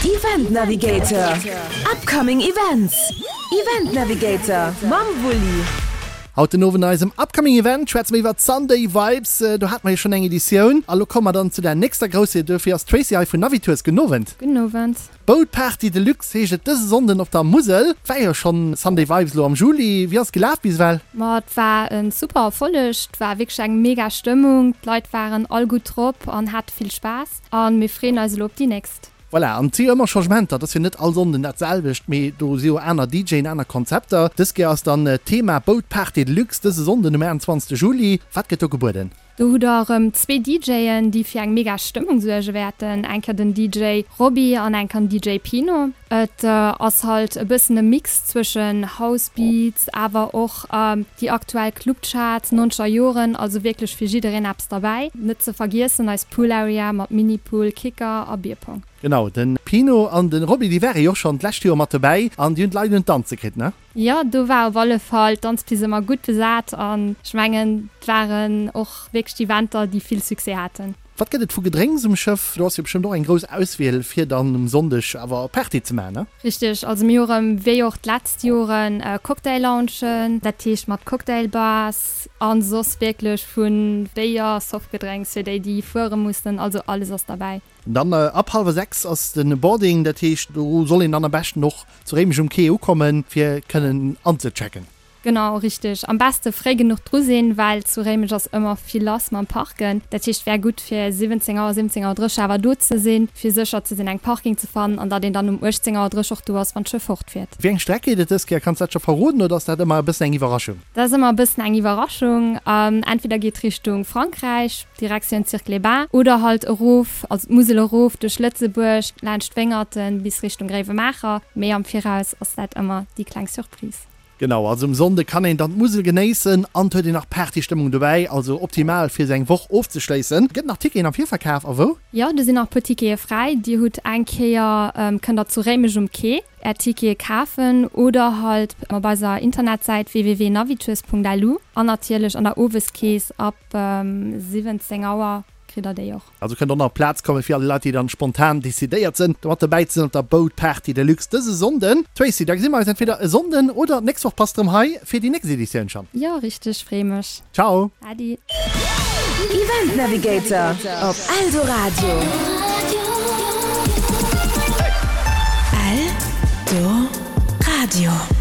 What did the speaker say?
Event Navigator, Upcoming Events, Event Navigator mam Wulli. Haut den Owend an eisem Upcoming Event schwätze mer iwwert Sunday Vibes. Do hate mer jo schonn eng Editioun a lo komme mer dann zu der nächster grousser. Duerfir ass d'Tracy hei vun Navitours. Gudden Owend. Gudden Owend. Boat Party Deluxe heescht et dëse Sonnden op der Musel. Et war jo schonn Sunday Vibes elo am Juli. Wéi ass et gelaf bis ewell? Ma et war e super Erfolleg. Et war wierklech eng mega Stëmmung. D'Leit waren all gutt drop an hate vill Spaass. A mir freeën eis elo op déi nächst. Voilà, an et si jo ëmmer Changementer, et ass jo net all Sonnden dat selwecht, mee do si jo aner DJen, aner Konzepter. Dës Kéier ass dann d'Thema Boat Party Deluxe dëse Sonnden um 28 Juli. Wat gëtt do gebueden? Do hutt der erëm zwee DJen, déi fir eng mega Stëmmung suerge wäerten, eng Kéier den DJ Roby an eng Kéier den DJ Pino. Et ass halt e bëssen e Mix zwëschen House Beats, awer och déi aktuell Clubcharts, nonzeger Joren, also wierklech fir jiddereen eppes derbäi. Net ze vergiessen eis Pool Area mat Mini-Pool, Kicker a Bierpong. Genau, de Pino an de Roby, déi ware jo och schonn d'lescht Joer mat dobäi an déi hunn d'Leit un d'Danze kritt, ne? Jo, do war op alle Fall d'Danzpist ëmmer gutt besat an ech mengen, et waren och wierklech Eventer, déi vill Succès haten. Wat gëtt et vu Gedrénks um Schëff? Do ass jo bestëmmt och eng grouss Auswiel fir dann um Sonndeg awer Party ze maachen, ne? Richteg, also mir hu rëm wéi och d'letzt Joren Cocktail-Loungen, dat heescht mat Cocktail-Bars an soss wierklech vu Béier, Softgedrénks fir déi, déi fuere mussen, also alles ass derbäi. Dann ab hallwer 6 ass de Boarding, dat heescht do soll een dann am beschten och zu Réimech um Quai ukommen fir kënnen anzechecken. Genau, richteg. Am beste fréi genuch dru sinn, well zu Réimech ass ëmmer vill lass mam Parken. Dat heescht wär gutt fir 17 Auer, 17 Auer 30 awer do ze sinn, fir sécher ze sinn eng Parking ze fannen an datt een dann um 18 Auer 30 och do ass wann d'Schëff fortfiert. Wéi eng Streck geet et dës Kéier? Kanns dat scho verroden oder ass dat ëmmer e bëssen eng Iwwerraschung? Dat ass ëmmer e bëssen eng Iwwerraschung. Entweder geet Richtung Frankräich, Directioun Cirque-les-Bains, oder halt erof, also d'Musel erof duerch Lëtzebuerg, laanscht Wéngerten bis Richtung Gréiwemaacher. Mee am Viraus ass dat ëmmer déi kleng Surprise. Genau, also um Sonnde kann een dann d'Musel genéissen an et huet een nach Partystëmmung dobäi, also optimal fir sou eng Woch ofzeschléissen. Gëtt nach Ticketen am Virverkaf a wou? Jo, do sinn nach e puer Tickete fräi. Dir hutt eng Kéier, kënnt der zu Réimech um Quai Är Tickete kafen oder halt op eiser Internetsäit www.navitours.lu an natierlech an der Oweskeess ab 17 Auer kritt der déi och. Also kënnt och nach Plaz kommen fir all déi Leit déi dann spontan decidéiert sënn mat dobäi ze sinn op der Boat Party Deluxe dëse Sonnden. Tracy, da gesi mer eis entweder e Sonnden oder d'nächst Woch bass de rëm hei fir déi nächst Editioun schonn. Jo richteg, free mech. Ciao. Adi. Event Navigator op Eldoradio. Eldoradio.